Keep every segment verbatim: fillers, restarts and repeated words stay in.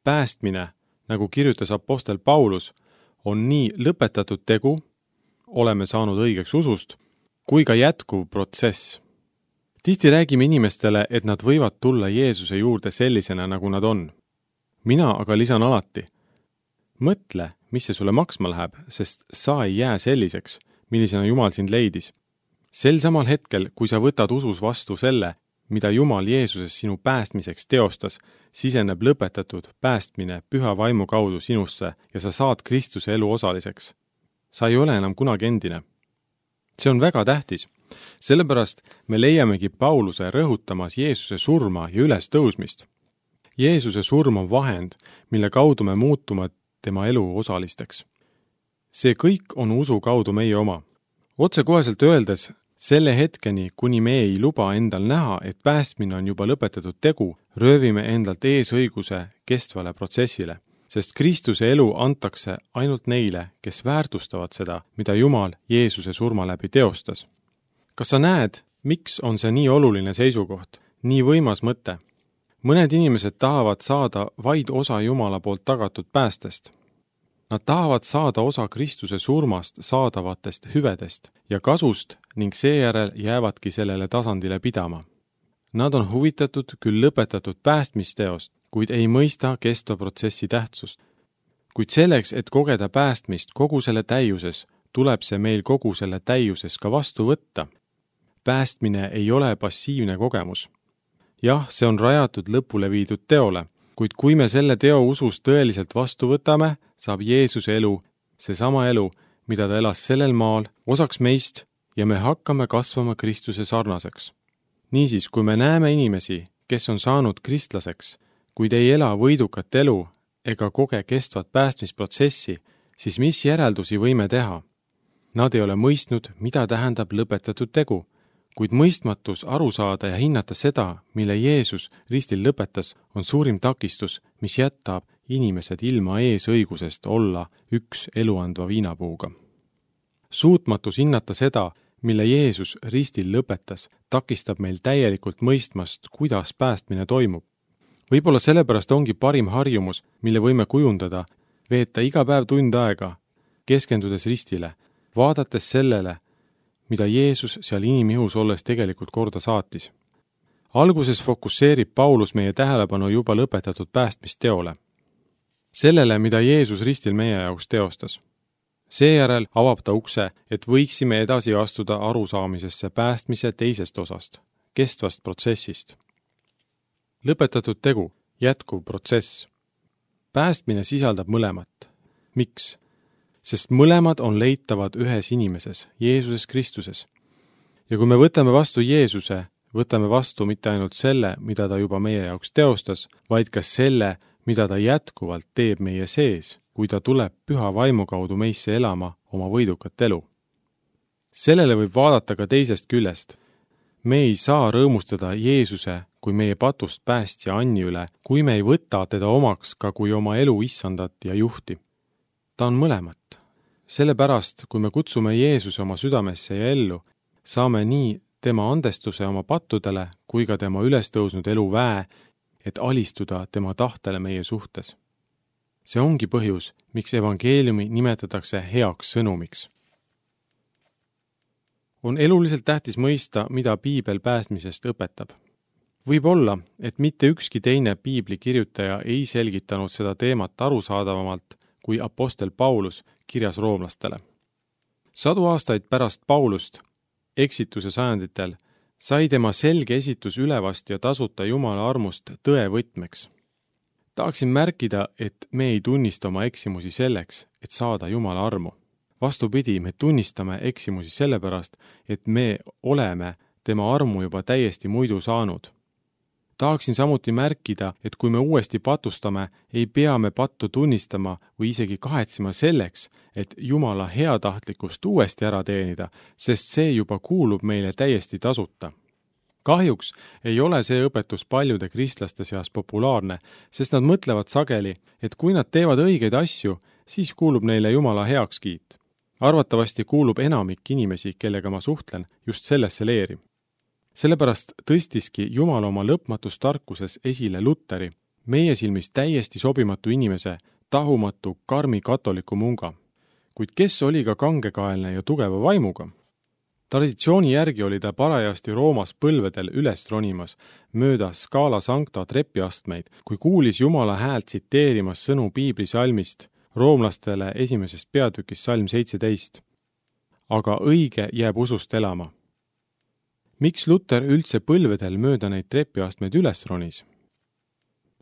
päästmine, nagu kirjutas apostel Paulus, on nii lõpetatud tegu, oleme saanud õigeks usust, kui ka jätkuv protsess. Tihti räägime inimestele, et nad võivad tulla Jeesuse juurde sellisena, nagu nad on. Mina aga lisan alati, mõtle, mis see sulle maksma läheb, sest sa ei jää selliseks, millisena Jumal sind leidis. Sel samal hetkel, kui sa võtad usus vastu selle, mida Jumal Jeesuses sinu päästmiseks teostas, siseneb lõpetatud päästmine püha vaimu kaudu sinusse ja sa saad Kristuse elu osaliseks. Sa ei ole enam kunagi endine. See on väga tähtis, sellepärast me leiamegi Pauluse rõhutamas Jeesuse surma ja üles tõusmist. Jeesuse surm on vahend, mille kaudu me muutume tema elu osalisteks. See kõik on usu kaudu meie oma. Otsekoheselt öeldes, selle hetkeni, kuni me ei luba endal näha, et päästmine on juba lõpetatud tegu, röövime endalt eesõiguse kestvale protsessile, sest Kristuse elu antakse ainult neile, kes väärtustavad seda, mida Jumal Jeesuse surma läbi teostas. Kas sa näed, miks on see nii oluline seisukoht, nii võimas mõte? Mõned inimesed tahavad saada vaid osa Jumala poolt tagatud päästest. Nad tahavad saada osa Kristuse surmast saadavatest hüvedest ja kasust ning seejärel jäävadki sellele tasandile pidama. Nad on huvitatud küll lõpetatud päästmisteost, kuid ei mõista kestva protsessi tähtsust. Kuid selleks, et kogeda päästmist kogu selle täiuses, tuleb see meil kogu selle täiuses ka vastu võtta. Päästmine ei ole passiivne kogemus. Jah, see on rajatud lõpule viidud teole, kuid kui me selle teo usus tõeliselt vastu võtame, saab Jeesuse elu, seesama elu, mida ta elas sellel maal, osaks meist ja me hakkame kasvama Kristuse sarnaseks. Niisiis, kui me näeme inimesi, kes on saanud kristlaseks, kuid ei ela võidukat elu ega koge kestvat päästmisprotsessi, siis mis järeldusi võime teha? Nad ei ole mõistnud, mida tähendab lõpetatud tegu, kuid mõistmatus aru saada ja hinnata seda, mille Jeesus ristil lõpetas, on suurim takistus, mis jätab inimesed ilma eesõigusest olla üks eluandva viinapuuga. Suutmatus hinnata seda, mille Jeesus ristil lõpetas, takistab meil täielikult mõistmast, kuidas päästmine toimub. Võib-olla sellepärast ongi parim harjumus, mille võime kujundada, veeta iga päev tund aega, keskendudes ristile, vaadates sellele, mida Jeesus seal inimihus olles tegelikult korda saatis. Alguses fokusseerib Paulus meie tähelepanu juba lõpetatud päästmisteole. Sellele, mida Jeesus ristil meie jaoks teostas. Seejärel avab ta ukse, et võiksime edasi astuda arusaamisesse päästmise teisest osast, kestvast protsessist. Lõpetatud tegu, jätkuv protsess. Päästmine sisaldab mõlemat. Miks? Sest mõlemad on leitavad ühes inimeses, Jeesuses Kristuses. Ja kui me võtame vastu Jeesuse, võtame vastu mitte ainult selle, mida ta juba meie jaoks teostas, vaid ka selle, mida ta jätkuvalt teeb meie sees, kui ta tuleb püha vaimu kaudu meisse elama oma võidukat elu. Sellele võib vaadata ka teisest küljest. Me ei saa rõõmustada Jeesuse kui meie patust päästja Anni üle, kui me ei võta teda omaks ka kui oma elu issandat ja juhti. Ta on mõlemat. Sellepärast, kui me kutsume Jeesuse oma südamesse ja ellu, saame nii tema andestuse oma pattudele kui ka tema ülestõusnud elu väe, et alistuda tema tahtele meie suhtes. See ongi põhjus, miks evangeeliumi nimetatakse heaks sõnumiks. On eluliselt tähtis mõista, mida piibel päästmisest õpetab. Võib olla, et mitte ükski teine piibli kirjutaja ei selgitanud seda teemat arusaadavamalt kui apostel Paulus kirjas roomlastele. Sadu aastaid pärast Paulust, eksituse sajanditel, sai tema selge esitus ülevast ja tasuta Jumala armust tõe võtmeks. Tahaksin märkida, et me ei tunnista oma eksimusi selleks, et saada Jumala armu. Vastupidi, me tunnistame eksimusi sellepärast, et me oleme tema armu juba täiesti muidu saanud. Tahaksin samuti märkida, et kui me uuesti patustame, ei pea me pattu tunnistama või isegi kahetsema selleks, et Jumala heatahtlikkust uuesti ära teenida, sest see juba kuulub meile täiesti tasuta. Kahjuks ei ole see õpetus paljude kristlaste seas populaarne, sest nad mõtlevad sageli, et kui nad teevad õigeid asju, siis kuulub neile Jumala heakskiit. Arvatavasti kuulub enamik inimesi, kellega ma suhtlen, just sellesse leeri. Sellepärast tõstiski Jumal oma lõpmatus tarkuses esile Luteri, meie silmis täiesti sobimatu inimese, tahumatu, karmi katoliku munga. Kuid kes oli ka kangekaelne ja tugeva vaimuga? Traditsiooni järgi oli ta parajasti Roomas põlvedel üles ronimas, mööda Scala Sancta trepiastmeid, kui kuulis Jumala häält tsiteerimas sõnu piiblisalmist, roomlastele esimesest peatükist salm seitseteist. Aga õige jääb usust elama. Miks Luter üldse põlvedel mööda neid trepiastmeid üles ronis?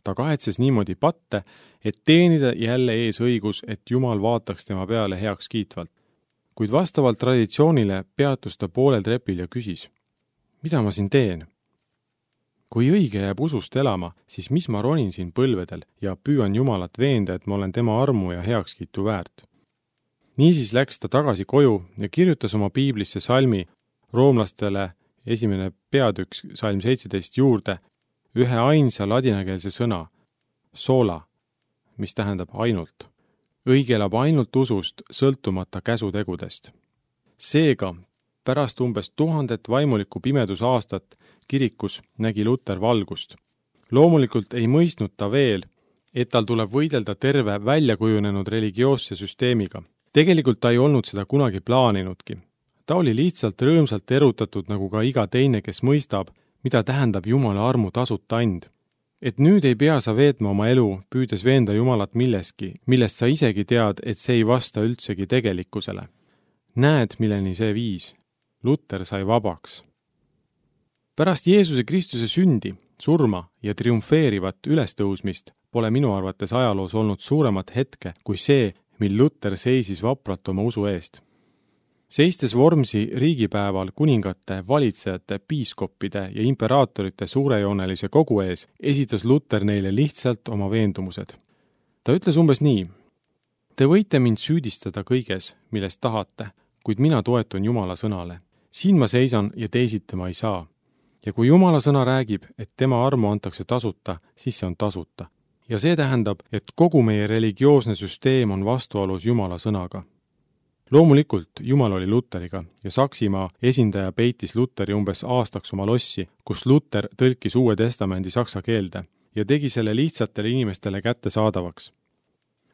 Ta kahetses niimoodi patte, et teenida jälle ees õigus, et Jumal vaataks tema peale heaks kiitvalt. Kuid vastavalt traditsioonile peatus ta poolel trepil ja küsis, mida ma siin teen? Kui õige jääb usust elama, siis mis ma ronin siin põlvedel ja püüan Jumalat veenda, et ma olen tema armu ja heakskiitu väärt. Niisiis läks ta tagasi koju ja kirjutas oma piiblisse salmi roomlastele esimene peatükk salm seitseteist juurde ühe ainsa ladinakeelse sõna, sola, mis tähendab ainult. Õige elab ainult usust, sõltumata käsutegudest. Seega, pärast umbes tuhandet vaimuliku pimedusaastat kirikus nägi Luter valgust. Loomulikult ei mõistnud ta veel, et tal tuleb võidelda terve väljakujunenud religioosse süsteemiga. Tegelikult ta ei olnud seda kunagi plaaninudki. Ta oli lihtsalt rõõmsalt erutatud nagu ka iga teine, kes mõistab, mida tähendab Jumala armu tasuta and. Et nüüd ei pea sa veetma oma elu, püüdes veenda Jumalat milleski, millest sa isegi tead, et see ei vasta üldsegi tegelikkusele. Näed, milleni see viis. Luter sai vabaks. Pärast Jeesuse Kristuse sündi, surma ja triumfeerivat ülestõusmist pole minu arvates ajaloos olnud suuremat hetke kui see, mil Luter seisis vapralt oma usu eest. Seistes Vormsi riigipäeval kuningate, valitsejate, piiskoppide ja imperaatorite suurejoonelise kogu ees, esitas Luter neile lihtsalt oma veendumused. Ta ütles umbes nii, te võite mind süüdistada kõiges, millest tahate, kuid mina toetun Jumala sõnale. Siin ma seisan ja teisiti ma ei saa. Ja kui Jumala sõna räägib, et tema armu antakse tasuta, siis see on tasuta. Ja see tähendab, et kogu meie religioosne süsteem on vastuolus Jumala sõnaga. Loomulikult Jumal oli Luteriga ja Saksimaa esindaja peitis Luteri umbes aastaks oma lossi, kus Luter tõlkis Uue Testamendi saksa keelde ja tegi selle lihtsatele inimestele kättesaadavaks.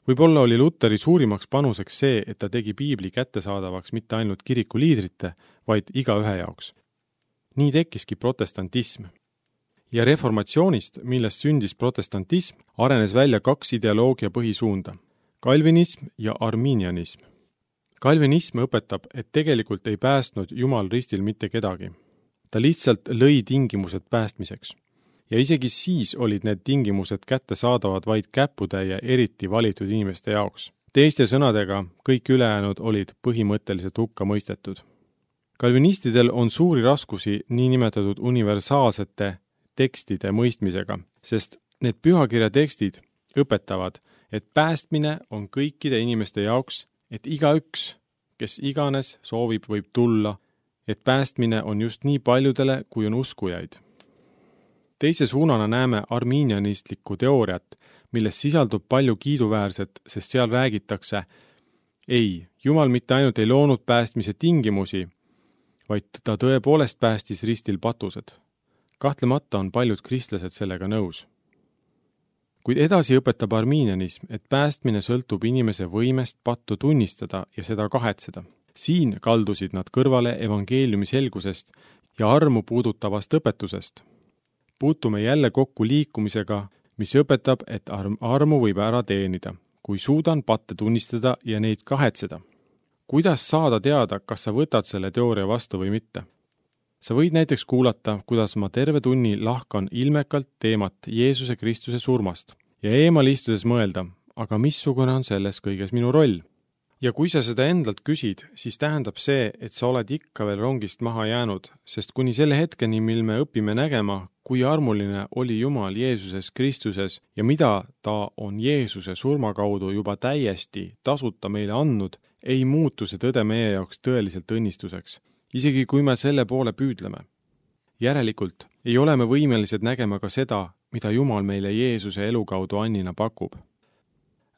Võib-olla oli Luteri suurimaks panuseks see, et ta tegi piibli kättesaadavaks mitte ainult kiriku liidrite, vaid igaühe jaoks. Nii tekkiski protestantism. Ja reformatsioonist, millest sündis protestantism, arenes välja kaks ideoloogia põhisuunda, kalvinism ja arminianism. Kalvinism õpetab, et tegelikult ei päästnud Jumal ristil mitte kedagi. Ta lihtsalt lõi tingimused päästmiseks. Ja isegi siis olid need tingimused kättesaadavad vaid käppude ja eriti valitud inimeste jaoks. Teiste sõnadega, kõik ülejäänud olid põhimõtteliselt hukka mõistetud. Kalvinistidel on suuri raskusi niinimetatud universaalsete tekstide mõistmisega, sest need pühakirja tekstid õpetavad, et päästmine on kõikide inimeste jaoks, et igaüks, kes iganes soovib, võib tulla, et päästmine on just nii paljudele, kui on uskujaid. Teise suunana näeme arminianistlikku teooriat, milles sisaldub palju kiiduväärset, sest seal räägitakse, ei, Jumal mitte ainult ei loonud päästmise tingimusi, vaid ta tõepoolest päästis ristil patused. Kahtlemata on paljud kristlased sellega nõus. Kuid edasi õpetab arminianism, et päästmine sõltub inimese võimest pattu tunnistada ja seda kahetseda. Siin kaldusid nad kõrvale evangeeliumi selgusest ja armu puudutavast õpetusest. Puutume jälle kokku liikumisega, mis õpetab, et armu võib ära teenida, kui suudan patte tunnistada ja neid kahetseda. Kuidas saada teada, kas sa võtad selle teooria vastu või mitte? Sa võid näiteks kuulata, kuidas ma terve tunni lahkan ilmekalt teemat Jeesuse Kristuse surmast ja eemal istudes mõelda, aga missugune on selles kõiges minu roll? Ja kui sa seda endalt küsid, siis tähendab see, et sa oled ikka veel rongist maha jäänud, sest kuni selle hetkeni, mil me õpime nägema, kui armuline oli Jumal Jeesuses Kristuses ja mida ta on Jeesuse surma kaudu juba täiesti tasuta meile andnud, ei muutu see tõde meie jaoks tõeliselt õnnistuseks. Isegi kui me selle poole püüdleme. Järelikult ei ole me võimelised nägema ka seda, mida Jumal meile Jeesuse elu kaudu annina pakub.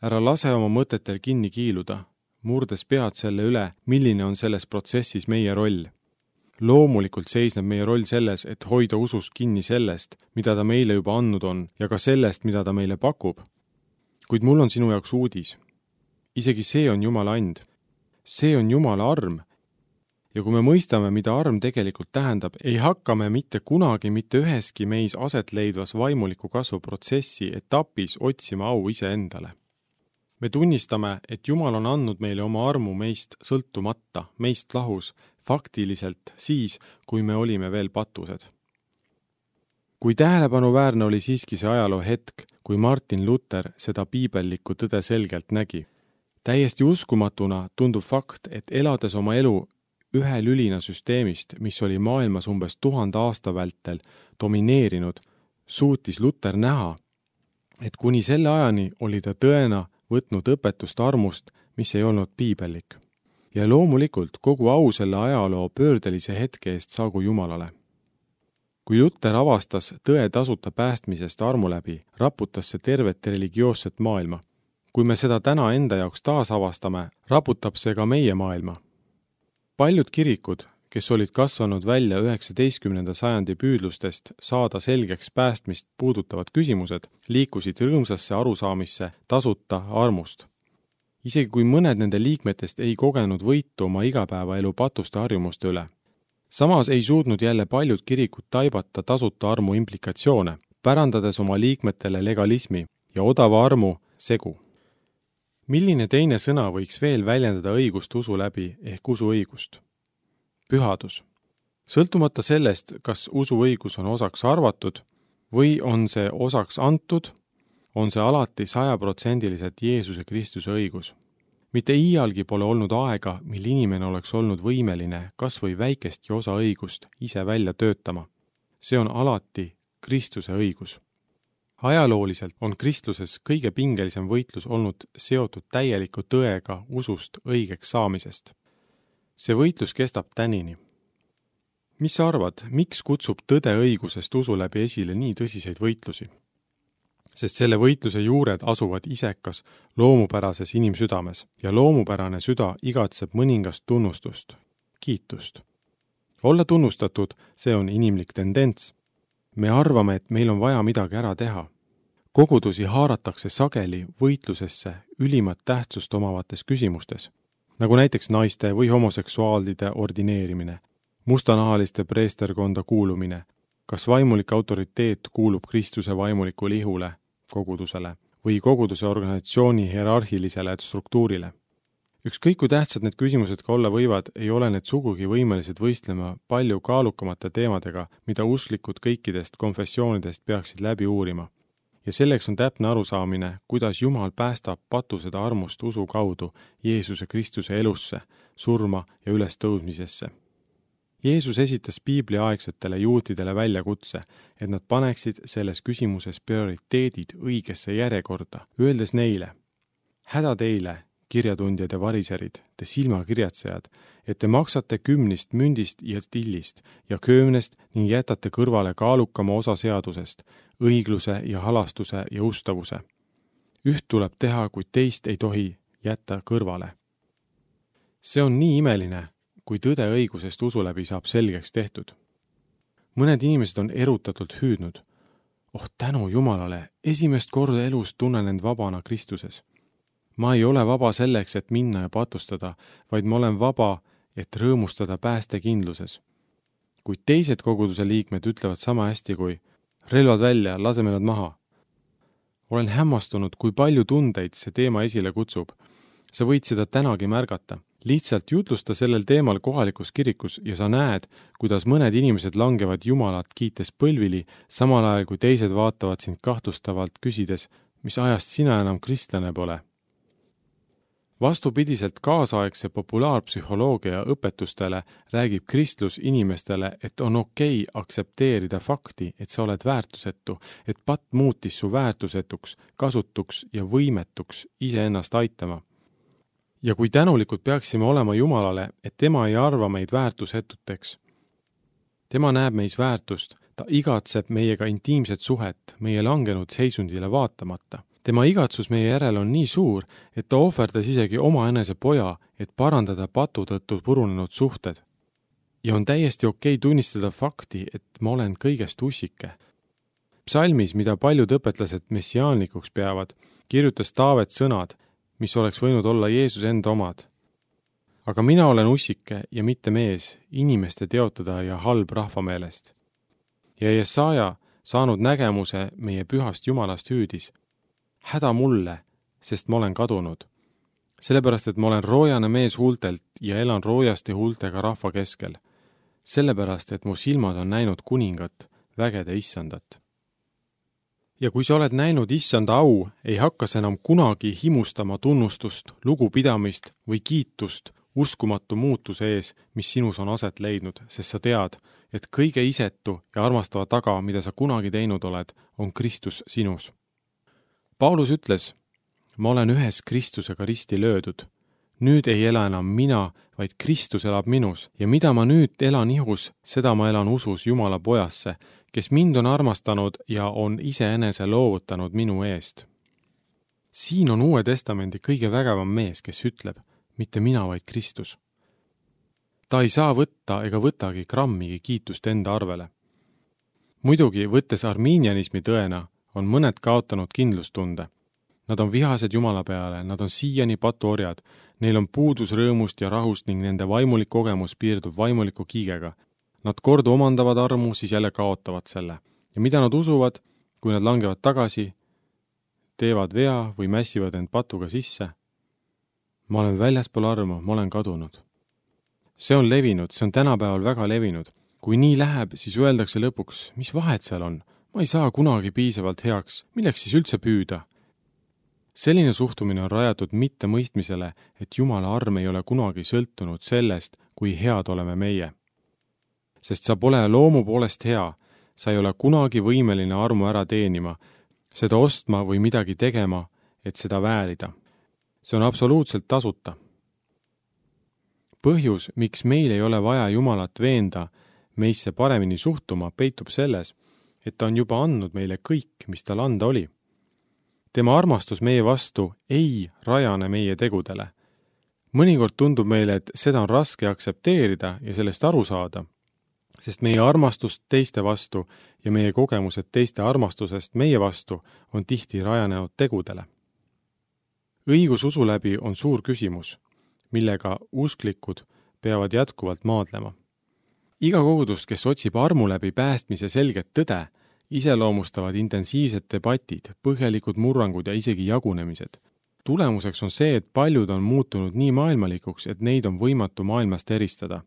Ära lase oma mõtetel kinni kiiluda, murdes pead selle üle, milline on selles protsessis meie roll. loomulikult seisneb meie roll selles, et hoida usus kinni sellest, mida ta meile juba andnud on ja ka sellest, mida ta meile pakub. Kuid mul on sinu jaoks uudis. Isegi see on Jumala and. See on Jumala arm. Ja kui me mõistame, mida arm tegelikult tähendab, ei hakka me mitte kunagi mitte üheski meis aset leidvas vaimuliku kasvu protsessi etapis otsima au iseendale. Me tunnistame, et Jumal on andnud meile oma armu meist sõltumata, meist lahus, faktiliselt siis, kui me olime veel patused. Kui tähelepanuväärne oli siiski see ajaloo hetk, kui Martin Luther seda piibellikku tõde selgelt nägi. Täiesti uskumatuna tundub fakt, et elades oma elu ühe lülina süsteemist, mis oli maailmas umbes tuhande aasta vältel domineerinud, suutis Luther näha, et kuni selle ajani oli ta tõena võtnud õpetust armust, mis ei olnud piibellik. Ja loomulikult kogu au selle ajaloo pöördelise hetke eest saagu Jumalale. Kui Luther avastas tõe tasuta päästmisest armu läbi, raputas see tervet religioosset maailma. Kui me seda täna enda jaoks taas avastame, raputab see ka meie maailma. Paljud kirikud, kes olid kasvanud välja üheksateistkümnenda sajandi püüdlustest saada selgeks päästmist puudutavad küsimused, liikusid rõõmsasse arusaamisse tasuta armust. Isegi kui mõned nende liikmetest ei kogenud võitu oma igapäevaelu patuste harjumuste üle. Samas ei suudnud jälle paljud kirikud taibata tasuta armu implikatsioone, pärandades oma liikmetele legalismi ja odava armu segu. Milline teine sõna võiks veel väljendada õigust usu läbi ehk usuõigust? Pühadus. Sõltumata sellest, kas usuõigus on osaks arvatud või on see osaks antud, on see alati sajaprotsendiliselt Jeesuse Kristuse õigus. Mitte iialgi pole olnud aega, mil inimene oleks olnud võimeline kas või väikestki osa õigust ise välja töötama. See on alati Kristuse õigus. Ajalooliselt on kristluses kõige pingelisem võitlus olnud seotud täieliku tõega usust õigeks saamisest. See võitlus kestab tänini. Mis sa arvad, miks kutsub tõde õigusest usu läbi esile nii tõsiseid võitlusi? Sest selle võitluse juured asuvad isekas loomupärases inimsüdames ja loomupärane süda igatseb mõningast tunnustust, kiitust. Olla tunnustatud, see on inimlik tendents. Me arvame, et meil on vaja midagi ära teha. Kogudusi haaratakse sageli võitlusesse ülimat tähtsust omavates küsimustes, nagu näiteks naiste või homoseksuaalide ordineerimine, mustanahaliste preesterkonda kuulumine, kas vaimulik autoriteet kuulub Kristuse vaimuliku lihule, kogudusele või koguduse organisatsiooni hierarhilisele struktuurile. Ükskõik kui tähtsad need küsimused ka olla võivad, ei ole need sugugi võimelised võistlema palju kaalukamate teemadega, mida usklikud kõikidest konfessioonidest peaksid läbi uurima. Ja selleks on täpne arusaamine, kuidas Jumal päästab patused armust usu kaudu Jeesuse Kristuse elusse, surma ja ülestõusmisesse. Jeesus esitas piibliaegsetele juutidele väljakutse, et nad paneksid selles küsimuses prioriteedid õigesse järjekorda, öeldes neile: häda teile, kirjatundjad ja variserid, te silmakirjatsejad, et te maksate kümnist mündist ja tillist ja köömnest ning jätate kõrvale kaalukama osa seadusest, õigluse ja halastuse ja ustavuse. Üht tuleb teha, kuid teist ei tohi jätta kõrvale. See on nii imeline, kui tõde õigusest usu läbi saab selgeks tehtud. Mõned inimesed on erutatult hüüdnud: oh tänu Jumalale, esimest korda elus tunnen end vabana Kristuses. Ma ei ole vaba selleks, et minna ja patustada, vaid ma olen vaba, et rõõmustada päästekindluses. Kuid teised koguduse liikmed ütlevad sama hästi kui: relvad välja, laseme nad maha. Olen hämmastunud, kui palju tundeid see teema esile kutsub. Sa võid seda tänagi märgata. Lihtsalt jutlusta sellel teemal kohalikus kirikus ja sa näed, kuidas mõned inimesed langevad Jumalat kiites põlvili, samal ajal kui teised vaatavad sind kahtlustavalt küsides, mis ajast sina enam kristlane pole. Vastupidiselt kaasaegse populaarpsühholoogia õpetustele räägib kristlus inimestele, et on okei aksepteerida fakti, et sa oled väärtusetu, et patt muutis su väärtusetuks, kasutuks ja võimetuks iseennast aitama. Ja kui tänulikud peaksime olema Jumalale, et tema ei arva meid väärtusetuteks. Tema näeb meis väärtust, ta igatseb meiega intiimset suhet, meie langenud seisundile vaatamata. Tema igatsus meie järel on nii suur, et ta ohverdas isegi oma enese poja, et parandada patu tõttu purunenud suhted. ja on täiesti okei tunnistada fakti, et ma olen kõigest ussike. Psalmis, mida paljud õpetlased messiaanlikuks peavad, kirjutas Taavet sõnad, mis oleks võinud olla Jeesus enda omad. Aga mina olen ussike ja mitte mees, inimeste teotada ja halb rahva meelest. Ja Jesaja, saanud nägemuse meie pühast Jumalast hüüdis, häda mulle, sest ma olen kadunud. Sellepärast, et ma olen roojane mees huultelt ja elan roojaste huultega rahva keskel. Sellepärast, et mu silmad on näinud kuningat, vägede issandat. Ja kui sa oled näinud issanda au, ei hakka sa enam kunagi himustama tunnustust, lugupidamist või kiitust uskumatu muutuse ees, mis sinus on aset leidnud, sest sa tead, et kõige isetu ja armastava taga, mida sa kunagi teinud oled, on Kristus sinus. Paulus ütles, ma olen ühes Kristusega risti löödud. Nüüd ei ela enam mina, vaid Kristus elab minus ja mida ma nüüd elan ihus, seda ma elan usus Jumala pojasse, kes mind on armastanud ja on iseenese loovutanud minu eest. Siin on Uue Testamendi kõige vägevam mees, kes ütleb, mitte mina, vaid Kristus. Ta ei saa võtta ega võtagi grammigi kiitust enda arvele. Muidugi, võttes armiinianismi tõena, on mõned kaotanud kindlustunde. Nad on vihased Jumala peale, nad on siiani patuorjad, neil on puudus rõõmust ja rahust ning nende vaimulik kogemus piirdub vaimuliku kiigega. Nad kord omandavad armu, siis jälle kaotavad selle. Ja mida nad usuvad, kui nad langevad tagasi, teevad vea või mässivad end patuga sisse? Ma olen väljaspool armu, ma olen kadunud. See on levinud, see on tänapäeval väga levinud. Kui nii läheb, siis öeldakse lõpuks, mis vahet seal on? Ma ei saa kunagi piisavalt heaks, milleks siis üldse püüda? Selline suhtumine on rajatud mitte mõistmisele, et Jumala arm ei ole kunagi sõltunud sellest, kui head oleme meie. Sest sa pole loomu poolest hea, sa ei ole kunagi võimeline armu ära teenima, seda ostma või midagi tegema, et seda väärida. See on absoluutselt tasuta. Põhjus, miks meil ei ole vaja Jumalat veenda meisse paremini suhtuma, peitub selles, et ta on juba andnud meile kõik, mis tal anda oli. Tema armastus meie vastu ei rajane meie tegudele. Mõnikord tundub meile, et seda on raske aktsepteerida ja sellest aru saada, sest meie armastust teiste vastu ja meie kogemused teiste armastusest meie vastu on tihti rajanenud tegudele. Õigus usu läbi on suur küsimus, millega usklikud peavad jätkuvalt maadlema. Iga kogudus, kes otsib armu läbi päästmise selget tõde, iseloomustavad intensiivsed debatid, põhjalikud murrangud ja isegi jagunemised. Tulemuseks on see, et paljud on muutunud nii maailmalikuks, et neid on võimatu maailmast eristada.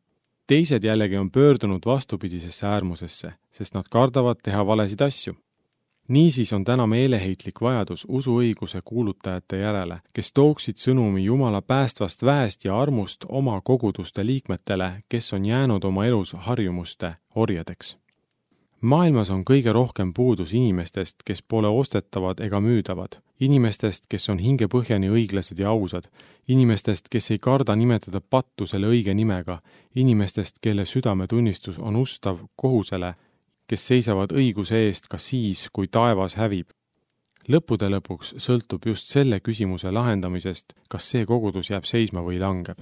Teised jällegi on pöördunud vastupidisesse äärmusesse, sest nad kardavad teha valesid asju. Niisiis on täna meeleheitlik vajadus usuõiguse kuulutajate järele, kes tooksid sõnumi Jumala päästvast väest ja armust oma koguduste liikmetele, kes on jäänud oma elus harjumuste orjadeks. Maailmas on kõige rohkem puudus inimestest, kes pole ostetavad ega müüdavad, inimestest, kes on hingepõhjani õiglased ja ausad, inimestest, kes ei karda nimetada pattu selle õige nimega, inimestest, kelle südametunnistus on ustav kohusele, kes seisavad õiguse eest ka siis, kui taevas hävib. Lõppude lõpuks sõltub just selle küsimuse lahendamisest, kas see kogudus jääb seisma või langeb.